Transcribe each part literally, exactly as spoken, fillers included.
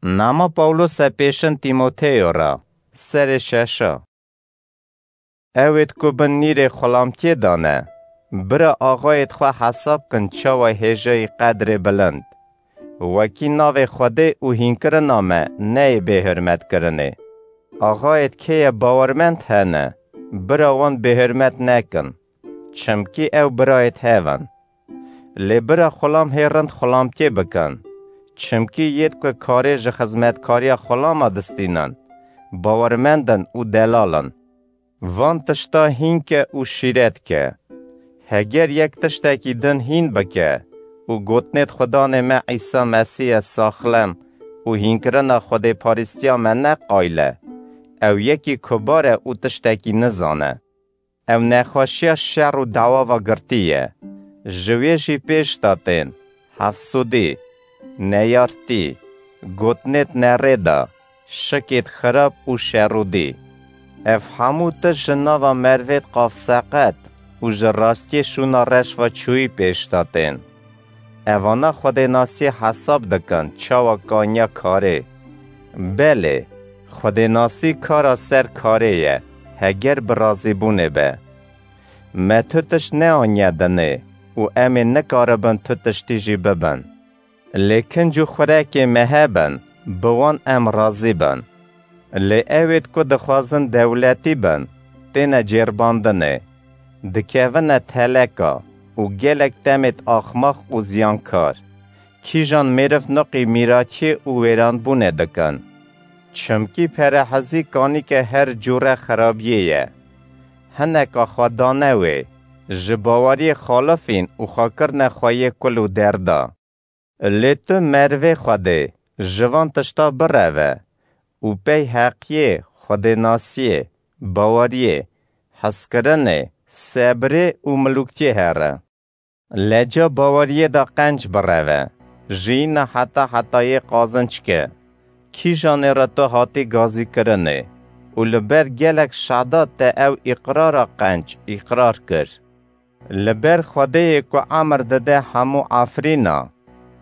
Nama Pawlose pêşin Tîmoteyo re, serê şeşa. Ewêd ku bin nîrê xulamtiyê de ne, bira axayêd xwe hesab kin çawa hêjayî qedrê bilind. Wekî navê Xwedê û hînkirina me neyê bêhurmetkirinê. Axayêd kê ye bawermend hene, bira wan bêhurmet nekin, çimkî ew birayêd hev in. Lê bira xulam hê rind xulamtiyê bikin, çimkî yêd ku karê ji xizmetkariya xulama distînin, bawermend in û delal in. Van tişta hîn ke û şîret ke. Heger yek tiştekî din hîn bike û gotinêd Xudanê me Îsa Mesîh ye saxlem û hînkirina xwedêparîstiya me ne qayil e, ew yekî kubar e û tiştekî nizane. Ew nexweşiya şer û dawa ve girtî ye. Ji wê jî pêş de tên hefsûdî, neyartî, gotinêd nerêda, şikêd xirab û şerûdî. Ev hemû tişt ji nava mervêd qafseqet û ji rastiyê şûna reş ve çûyî pêş de tên. Evana xwedênasiyê hesab dikin çawa kaniya karê. Belê, xwedênasî kara ser karê ye, heger bi razîbûnê be. Me tu tişt neaniye dinê û em ê nikaribin tu tiştî jî bibin. Lê kinc û xurekê me hebin, bi wan em razî bin. Lê ewêd ku dixwazin dewletî bin, têne cêrbandinê, dikevine teleka û gelek demêd axmax û ziyankar. Kîjan mêriv nuqî mîratiyê û wêranbûnê dikin. Çimkî perehezî kanîke her cûre xirabiyê ye. Hineka xwe dane wê, ji baweriyê xalifîn û xwe kirine xweyê kul û derda. Lê tu mervê Xwedê, ji van tişta bireve û pey heqiyê, xwedênasiyê, baweriyê, hezkirinê, sebrê û milûktiyê here. Leca baweriyê de qenc bireve, jiyîna heta hetayê qazinc ke. Kîjanê re tu hatî gazîkirinê û li ber gelek şada te ew îqrara qenc îqrar kir. Li ber Xwedêyê ku emir dide hemû efrîna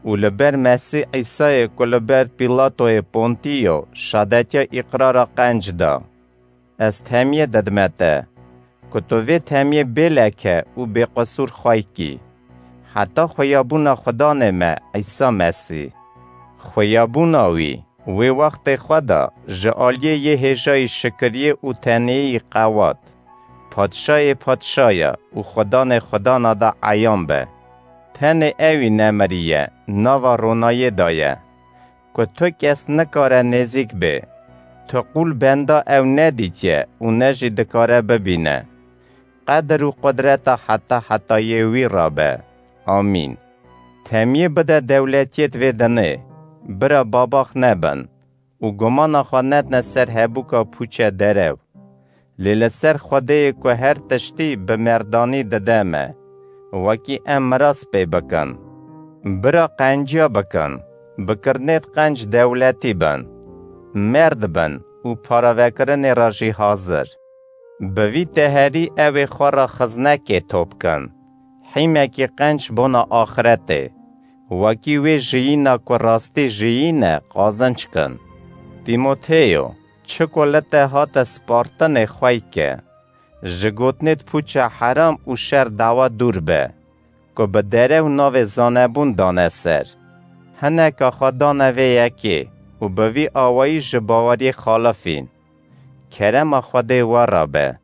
û li ber Mesîh Îsayê ku li ber Pîlatoyê Pontîyo şadetiya îqrara qenc da. Ez temiyê didime te, ku tu vê temiyê bêleke û bêqisûr xwey kî, heta xweyabûna Xudanê me Îsa Mesîh. Xweyabûna wî, wê wextê xwe da ji aliyê yê hêjayî şikiriyê û tenêyî qewat, Padşayê padşaya û Xudanê xudana da eyan be. Tenê ewî nemiriye, nava ronayê da ye, ku tu kes nikare nêzîk bê. Tu qûl benda ew nedîtiye û ne jî dikare bibîne. Qedir û qudreta heta hetayê wî ra be. Amîn. Temiyê bide dewletiyêt vê dinê, bira babax nebin û gumana xwe nedne ser hebûka pûçe derew. Lê li ser Xwedêyê ku her tiştî bi merdanî dide me, wekî em miras pê bikin. Bira qenciya bikin, bi kirinêt qenc dewletî bin, merd bin û paravekirinê re jî hazir. Bi vî teherî ew ê xwe re xiznekê top kin, hîmekî qenc bona axiretê, wekî wê jiyîna ku rastî jiyîne qazinc kin. Tîmoteyo, çi ku li te hate spartinê xwey ke. Ji gotinêt pûça heram û şer dawa dûr be, ku bi derew navê zanebûn dane ser. Hineka xwe dane vê yekê û bi vî awayî ji baweriyê xalifîn. Kerema Xwedê we re be.